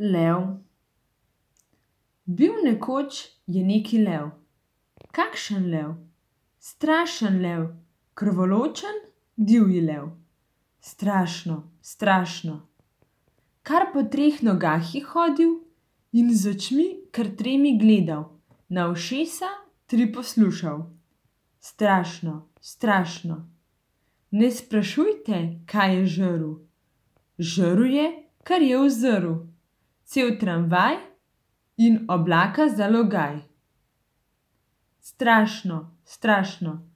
Lev. Bil nekoč je neki lev. Kakšen lev? Strašen lev, krvoločen, divji lev. Strašno, strašno. Kar po 3 nogah je hodil in z očmi kar 3 gledal, na ušesa 3 poslušal. Strašno, strašno. Ne sprašujte, kaj je žrl. Žrl je, kar je uzrl. Cel tramvaj in oblaka za logaj. Strašno, strašno.